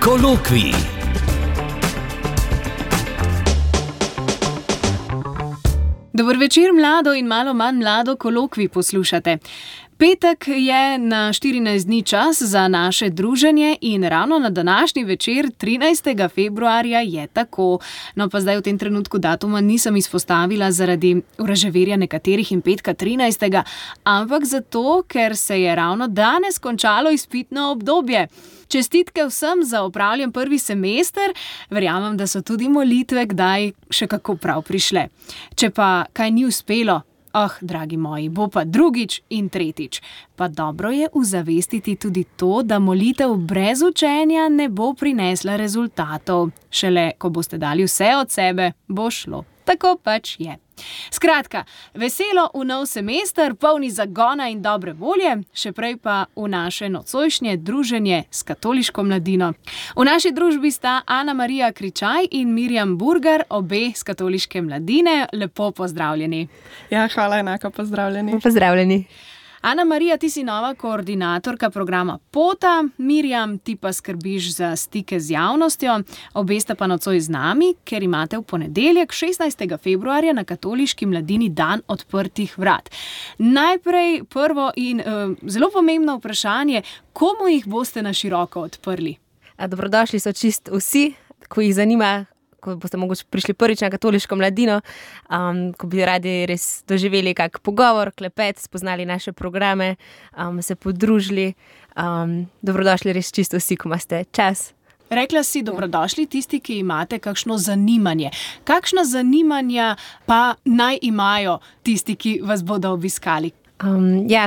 Kolokvij. Dober večer, mlado in malo manj mlado kolokvij poslušate. Petek je na 14 dni čas za naše druženje in ravno na današnji večer, 13. februarja, je tako. No, pa zdaj v tem trenutku datuma nisem izpostavila zaradi vraževerja nekaterih in petka 13. ampak zato, ker se je ravno danes končalo izpitno obdobje. Čestitke vsem za opravljen prvi semester, verjamem, da so tudi molitve kdaj še kako prav prišle. Če pa kaj ni uspelo, dragi moji, bo pa drugič in tretjič. Pa dobro je uzavestiti tudi to, da molitev brez učenja ne bo prinesla rezultatov. Šele, ko boste dali vse od sebe, bo šlo. Tako pač je. Skratka, veselo v nov semester, polni zagona in dobre volje, še prej pa v naše nocojšnje druženje s katoliško mladino. V naši družbi sta Ana Marija Kričaj in Mirjam Burgar, obe s katoliške mladine. Lepo pozdravljeni. Ja, hvala, enako pozdravljeni. Pozdravljeni. Ana Marija, ti si nova koordinatorka programa Pota, Mirjam, ti pa skrbiš za stike z javnostjo. Obe sta pa nocoj z nami, ker imate v ponedeljek, 16. februarja, na katoliški mladini dan odprtih vrat. Najprej prvo in zelo pomembno vprašanje, komu jih boste na široko odprli? Dobrodošli so čisto vsi, ko jih zanima, ko boste mogoče prišli prvič na katoliško mladino, ko bi radi res doživeli kak pogovor, klepet, spoznali naše programe, se podružili. Dobrodošli res čisto vsi, ko imate čas. Rekla si, dobrodošli tisti, ki imate kakšno zanimanje. Kakšna zanimanja pa naj imajo tisti, ki vas bodo obiskali?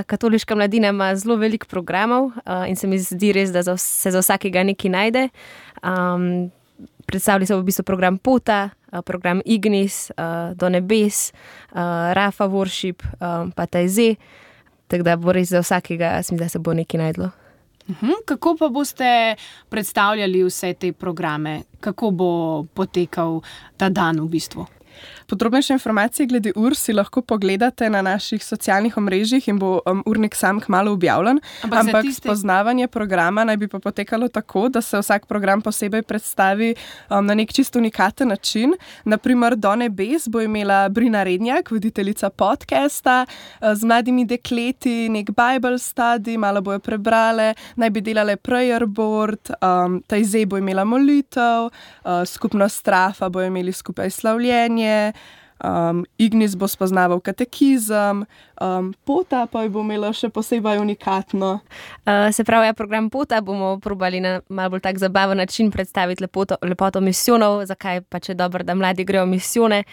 Katoliška mladina ima zelo veliko programov in se mi zdi res, da se za vsakega nekaj najde. Predstavlja se v bistvu program Pota, program Ignis, Do nebes, Rafa Worship, pa Tajze. Tako da bo res za vsakega, mislim, da se bo nekaj najdlo. Kako pa boste predstavljali vse te programe? Kako bo potekal ta dan v bistvu? Podrobnejše informacije glede ur si lahko pogledate na naših socialnih omrežjih in bo urnik sam kmalu objavljen. Ampak spoznavanje programa naj bi pa potekalo tako, da se vsak program posebej predstavi na nek čisto unikaten način. Naprimer, Do nebes bo imela Brina Rednjak, voditeljica podcasta, z mladimi dekleti, nek Bible study, malo bojo prebrale, naj bi delale prayer board, Tajze bo imela molitev, skupnost Rafa bo imeli skupaj slavljenje, Ignis bo spoznaval katekizem, Pota pa bo imela še posebej unikatno. Se pravi, program Pota bomo probali na malo bolj tak zabaven način predstaviti lepoto misijonov, zakaj pa če dobro, da mladi grejo misijone,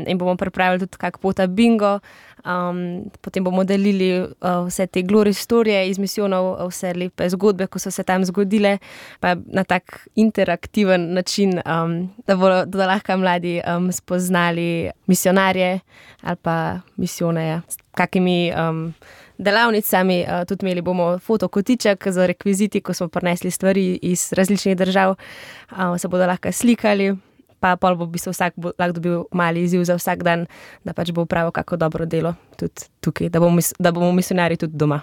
in bomo pripravili tudi kak Pota bingo. Potem bomo delili vse te glory storije iz misijonov, vse lepe zgodbe, ko so se tam zgodile, pa na tak interaktiven način, da lahko mladi spoznali misionarje ali pa misijone, s kakimi delavnicami. Tudi imeli bomo fotokotiček z rekviziti, ko smo prinesli stvari iz različnih držav, se bodo lahko slikali. Pa pol bo v bistvu vsak lahko dobil mali izziv za vsak dan, da pač bo upravil kako dobro delo tudi tukaj, da bomo misionarji tudi doma.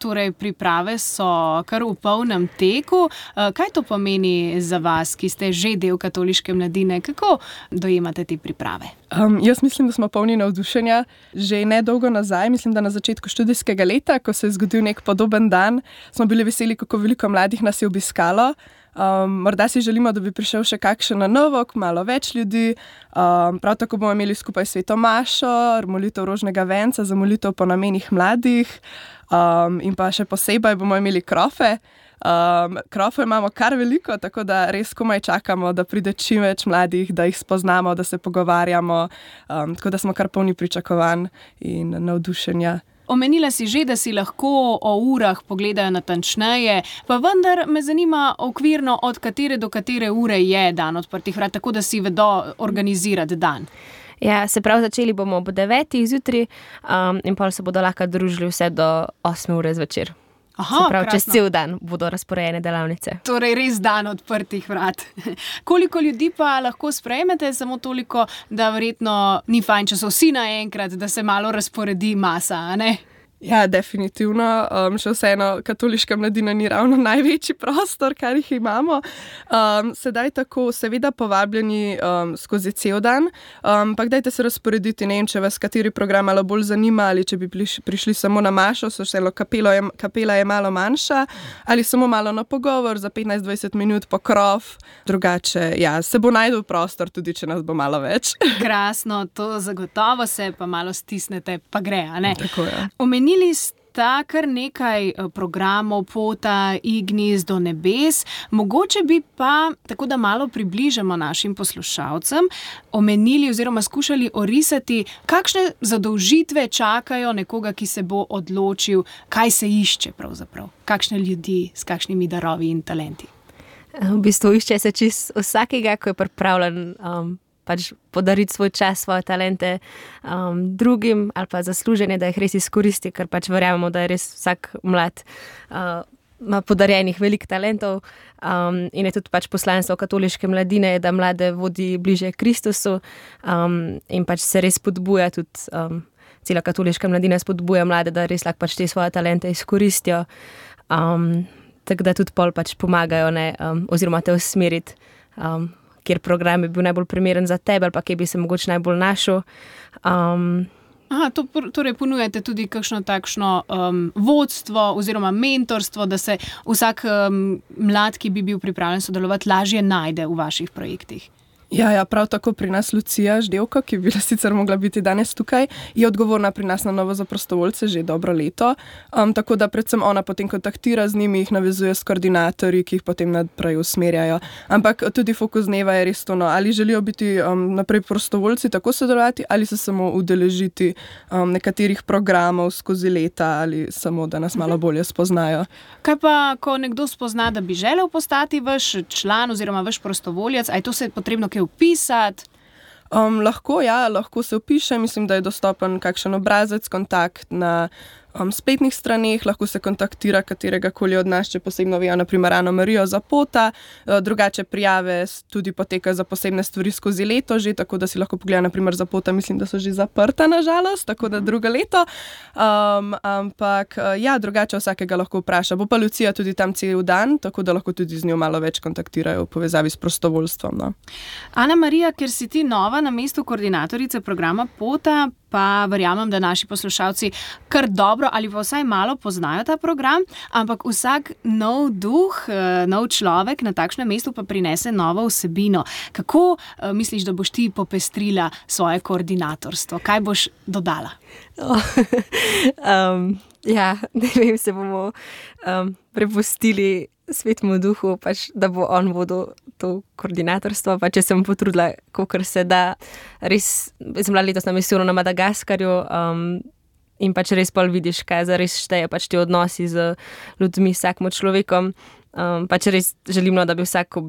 Torej, priprave so kar v polnem teku. Kaj to pomeni za vas, ki ste že del katoliške mladine? Kako dojemate te priprave? Jaz mislim, da smo polni navdušenja. Že nedolgo nazaj, mislim, da na začetku študijskega leta, ko se je zgodil nek podoben dan, smo bili veseli, kako veliko mladih nas je obiskalo. Morda si želimo, da bi prišel še kakšen na novo, malo več ljudi. Prav tako bomo imeli skupaj sveto mašo, molitev rožnega venca za molitev po namenih mladih, in pa še posebej bomo imeli krofe. Krofe imamo kar veliko, tako da res komaj čakamo, da pride čim več mladih, da jih spoznamo, da se pogovarjamo, tako da smo kar polni pričakovanj in navdušenja. Omenila si že, da si lahko o urah pogledajo natančneje, pa vendar me zanima okvirno, od katere do katere ure je dan odprtih vrat, tako da si vedo organizirati dan. Ja, se pravi, začeli bomo ob 9 zjutraj, in pol se bodo lahko družili vse do 8 ure zvečer. Aha, se pravi, krasno. čez cel dan bodo razporejene delavnice. Torej, res dan odprtih vrat. Koliko ljudi pa lahko sprejmete? Samo toliko, da verjetno ni fajn, če so vsi naenkrat, da se malo razporedi masa, a ne? Ja, definitivno. Še vseeno katoliška mladina ni ravno največji prostor, kar jih imamo. Sedaj tako, seveda povabljeni skozi cel dan, ampak dajte se razporediti, ne vem, če vas kateri program malo bolj zanima, ali če bi prišli samo na mašo, kapela je malo manjša, ali samo malo na pogovor za 15-20 minut pokrov. Drugače, ja, se bo najdel prostor, tudi če nas bo malo več. Krasno, to zagotovo se pa malo stisnete, pa gre, a ne? Tako je. Omenili sta kar nekaj programov, Pota, Ignis do nebes. Mogoče bi pa, tako da malo približamo našim poslušalcem, omenili oziroma skušali orisati, kakšne zadolžitve čakajo nekoga, ki se bo odločil, kaj se išče pravzaprav. Kakšne ljudi s kakšnimi darovi in talenti. V bistvu išče se čist vsakega, ko je pripravljen pač podariti svoj čas, svoje talente drugim ali pa zasluženje, da jih res izkoristi, ker pač verjamemo, da je res vsak mlad ima podarjenih veliko talentov in je tudi pač poslanstvo katoliške mladine, da mlade vodi bliže Kristusu in pač se res spodbuja tudi cela katoliška mladina spodbuja mlade, da res lahko pač te svoje talente izkoristijo, tako da tudi pol pač pomagajo, oziroma te usmeriti, kjer program je bil najbolj primeren za tebe ali pa kje bi se mogoče najbolj našel. Torej ponujate tudi kakšno takšno vodstvo oziroma mentorstvo, da se vsak mlad, ki bi bil pripravljen sodelovati, lažje najde v vaših projektih. Ja, prav tako pri nas Lucija Ždevko, ki bi bila sicer mogla biti danes tukaj, je odgovorna pri nas na novo za prostovoljce že dobro leto. Tako da predvsem ona potem kontaktira z njimi, jih navezuje s koordinatorji, ki jih potem naprej usmerjajo. Ampak tudi fokus dneva je res to, ali želijo biti naprej prostovoljci tako sodelovati, ali se samo udeležiti nekaterih programov skozi leta, ali samo, da nas malo bolje spoznajo. Kaj pa, ko nekdo spozna, da bi želel postati vaš član oziroma vaš prostovoljec, a je to se potrebno vpisati? Lahko se vpiše, mislim, da je dostopen kakšen obrazec, kontakt na spletnih straneh, lahko se kontaktira katerega koli od nas, če posebno vejo, naprimer Ano Marijo za Pota, drugače prijave tudi potekajo za posebne stvari skozi leto že, tako da si lahko pogleda, naprimer za Pota, mislim, da so že zaprta nažalost, tako da drugo leto, ampak drugače vsakega lahko vpraša. Bo pa Lucija tudi tam cel dan, tako da lahko tudi z njo malo več kontaktirajo v povezavi s prostovoljstvom. No. Ana Marija, ker si ti nova na mestu koordinatorice programa Pota, pa verjamem, da naši poslušalci kar dobro ali pa vsaj malo poznajo ta program, ampak vsak nov duh, nov človek na takšnem mestu pa prinese novo vsebino. Kako misliš, da boš ti popestrila svoje koordinatorstvo? Kaj boš dodala? Ne vem, se bomo prepustili Svetemu duhu, pač, da bo on vodil to koordinatorstvo, pa če sem potrudila, kolikor se da. Res, sem bila letos na misijonu na Madagaskarju in pač res pol vidiš, kaj zares šteje, pač ti odnosi z ljudmi, vsakim človekom. Pač res želim, da bi vsak, ko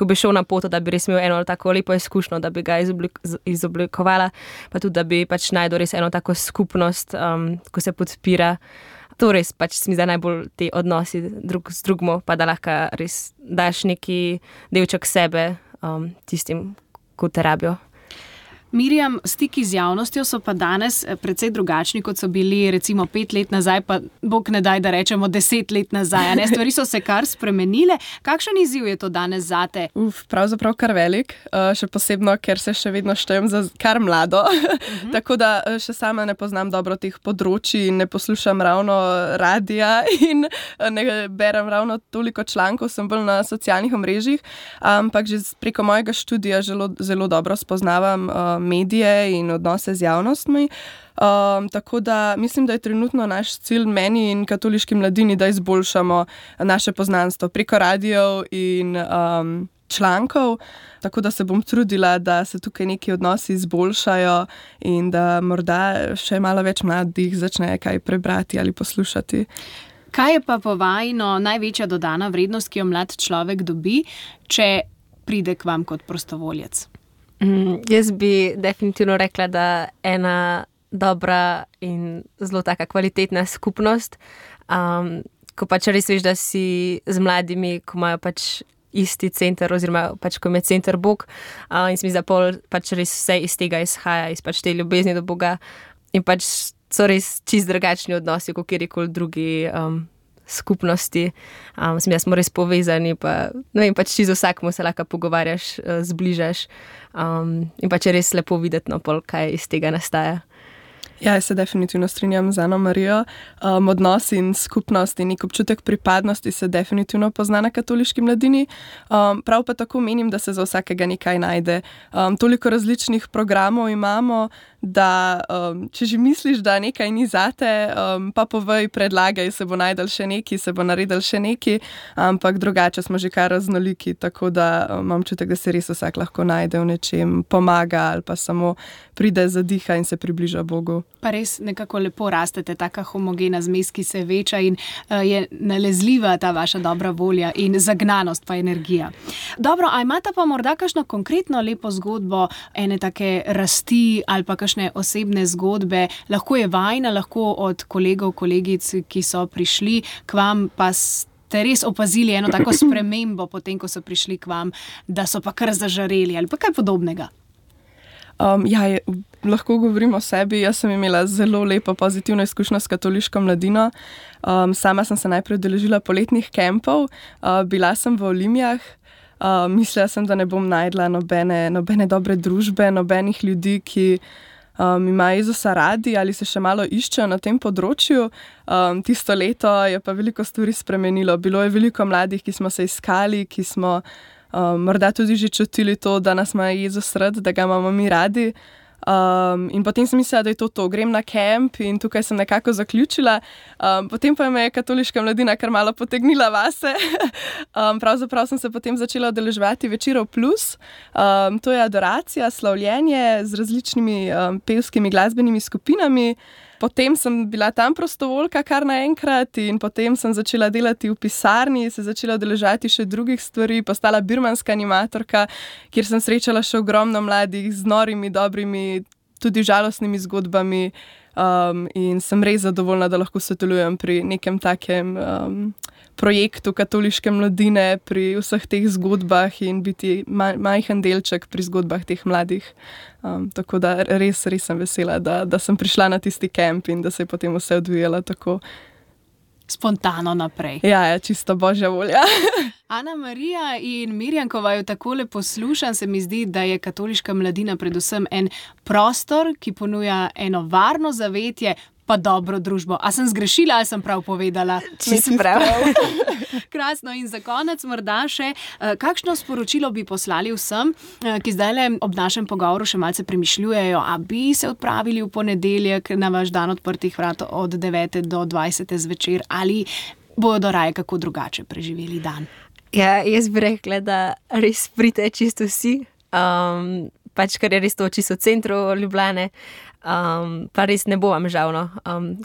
bi šel na pot, da bi res imel eno tako lepo izkušnjo, da bi ga izoblikovala, pa tudi, da bi pač najdel res eno tako skupnost, ko se podpira. To res pač se mi zdi najbolj te odnosi drug z drugmo, pa da lahko res daš neki delček sebe tistim, ko te rabijo. Mirjam, stiki z javnostjo so pa danes precej drugačni, kot so bili recimo 5 let nazaj, pa bog ne daj, da rečemo 10 let nazaj. Stvari so se kar spremenile. Kakšen izziv je to danes zate? Pravzaprav kar velik, še posebno, ker se še vedno štejem za kar mlado. Tako da še sama ne poznam dobro teh področji in ne poslušam ravno radija in ne berem ravno toliko člankov, sem bolj na socialnih omrežjih, ampak že preko mojega študija zelo dobro spoznavam medije in odnose z javnostmi. Tako da mislim, da je trenutno naš cilj meni in katoliški mladini, da izboljšamo naše poznanstvo preko radijev in člankov, tako da se bom trudila, da se tukaj neki odnosi izboljšajo in da morda še malo več mladih začne kaj prebrati ali poslušati. Kaj je pa po vajino največja dodana vrednost, ki jo mlad človek dobi, če pride k vam kot prostovoljec? Jaz bi definitivno rekla, da ena dobra in zelo taka kvalitetna skupnost, ko pač res veš, da si z mladimi, ko imajo pač isti center oziroma pač ko je center Bog, in se mi zdi, da pač res vse iz tega izhaja, iz pač te ljubezni do Boga in pač so res čist drugačni odnosi, kot kjerkoli drugi skupnosti. Mislim, smo res povezani, pa ne vem, pač čisto vsakmu se lahko pogovarjaš, zbližaš. In pač je res lepo videti, no, pol, kaj iz tega nastaja. Ja, jaz se definitivno strinjam z Ano Marijo. Odnos in skupnost in nek občutek pripadnosti se definitivno pozna na katoliški mladini. Prav pa tako menim, da se za vsakega nekaj najde. Toliko različnih programov imamo, da če že misliš, da nekaj ni zate, pa povej, predlagaj, se bo najdel še neki, se bo naredil še neki, ampak drugače smo že kar raznoliki, tako da imam čutek, da se res vsak lahko najde v nečem, pomaga ali pa samo pride, zadiha in se približa Bogu. Pa res nekako lepo rastete, taka homogena zmes, ki se veča in je nalezljiva ta vaša dobra volja in zagnanost pa energija. Dobro, a imate pa morda kakšno konkretno lepo zgodbo ene take rasti ali pa kakšne osebne zgodbe? Lahko je vajna, lahko od kolegov, kolegic, ki so prišli k vam, pa ste res opazili eno tako spremembo potem, ko so prišli k vam, da so pa kar zažareli ali pa kaj podobnega? Lahko govorim o sebi. Jaz sem imela zelo lepo pozitivno izkušnjo s katoliško mladino. Sama sem se najprej udeležila poletnih kempov, bila sem v Olimijah. Mislila sem, da ne bom najdla nobene dobre družbe, nobenih ljudi, ki imajo Jezusa radi ali se še malo iščejo na tem področju. Tisto leto je pa veliko stvari spremenilo. Bilo je veliko mladih, ki smo se iskali, ki smo morda tudi že čutili to, da nas ima Jezus rad, da ga imamo mi radi. In potem sem mislila, da je to. Grem na kemp in tukaj sem nekako zaključila. Potem pa me je katoliška mladina kar malo potegnila vase. Pravzaprav sem se potem začela udeleževati Večerov plus. To je adoracija, slavljenje z različnimi pevskimi glasbenimi skupinami. Potem sem bila tam prostovoljka kar naenkrat in potem sem začela delati v pisarni, se začela udeleževati še drugih stvari, postala birmanska animatorka, kjer sem srečala še ogromno mladih z norimi, dobrimi, tudi žalostnimi zgodbami in sem res zadovoljna, da lahko sodelujem pri nekem takem projektu katoliške mladine, pri vseh teh zgodbah in biti majhen delček pri zgodbah teh mladih. Tako da res sem vesela, da sem prišla na tisti kemp in da se je potem vse odvijalo tako spontano naprej. Ja, čisto božja volja. Ana Marija in Mirjam, ko vaju takole poslušam, se mi zdi, da je katoliška mladina predvsem en prostor, ki ponuja eno varno zavetje, pa dobro družbo. A sem zgrešila ali sem prav povedala? Čisto prav. Krasno. In za konec morda še, kakšno sporočilo bi poslali vsem, ki zdajle ob našem pogovoru še malce premišljujejo, a bi se odpravili v ponedeljek na vaš dan odprtih vrat od 9. do 20. zvečer ali bodo raje kako drugače preživeli dan? Ja, jaz bi rekla, da res pridite čisto vsi, pač ker je res to čisto v centru Ljubljane. Pa res ne bo vam žal, no.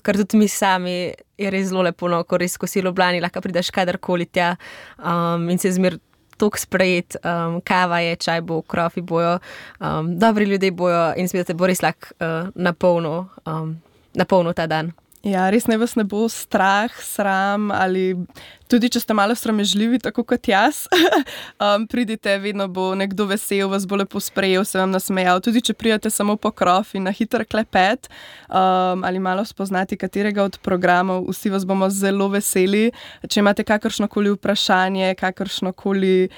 Ker tudi mi sami je res zelo lepo, no, ko res, ko si v Ljubljani, lahko prideš kadarkoli tja in se zmer toliko sprejet, kava je, čaj bo, krofi bojo, dobri ljudje bojo in se bo res lahko napolnil ta dan. Ja, res ne vas ne bo strah, sram ali tudi, če ste malo sramežljivi, tako kot jaz, pridite, vedno bo nekdo vesel, vas bo lepo sprejel, se vam nasmejal. Tudi, če pridete samo po krof in na hiter klepet ali malo spoznati katerega od programov, vsi vas bomo zelo veseli. Če imate kakršnokoli vprašanje, kakršnokoli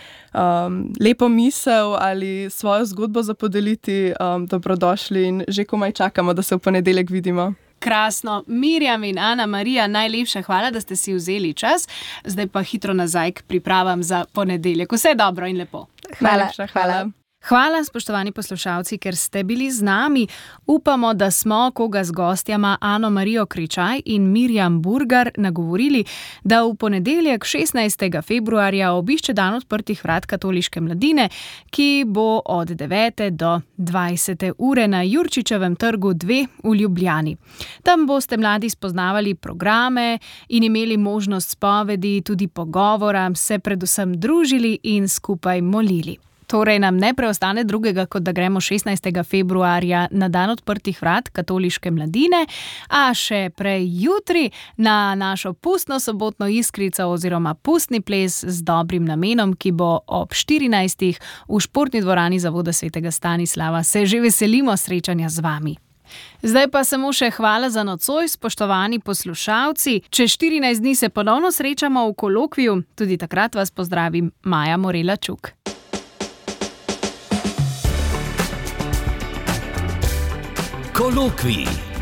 lepo misel ali svojo zgodbo za podeliti, dobrodošli in že komaj čakamo, da se v ponedeljek vidimo. Krasno. Mirjam in Ana Marija, najlepša hvala, da ste si vzeli čas. Zdaj pa hitro nazaj k pripravam za ponedeljek. Vse dobro in lepo. Hvala. Hvala, spoštovani poslušalci, ker ste bili z nami. Upamo, da smo koga z gostjama Ano Marijo Kričaj in Mirjam Burgar nagovorili, da v ponedeljek 16. februarja obišče dan odprtih vrat katoliške mladine, ki bo od 9. do 20. ure na Jurčičevem trgu 2 v Ljubljani. Tam boste mladi spoznavali programe in imeli možnost spovedi, tudi pogovora, se predvsem družili in skupaj molili. Torej nam ne preostane drugega, kot da gremo 16. februarja na dan odprtih vrat katoliške mladine, a še prej jutri na našo pustno sobotno iskrico oziroma pustni ples z dobrim namenom, ki bo ob 14. v športni dvorani Zavoda svetega Stanislava. Se že veselimo srečanja z vami. Zdaj pa samo še hvala za nocoj, spoštovani poslušalci. Čez 14 dni se ponovno srečamo v kolokviju. Tudi takrat vas pozdravim, Maja Morela Čuk. Kolokvij.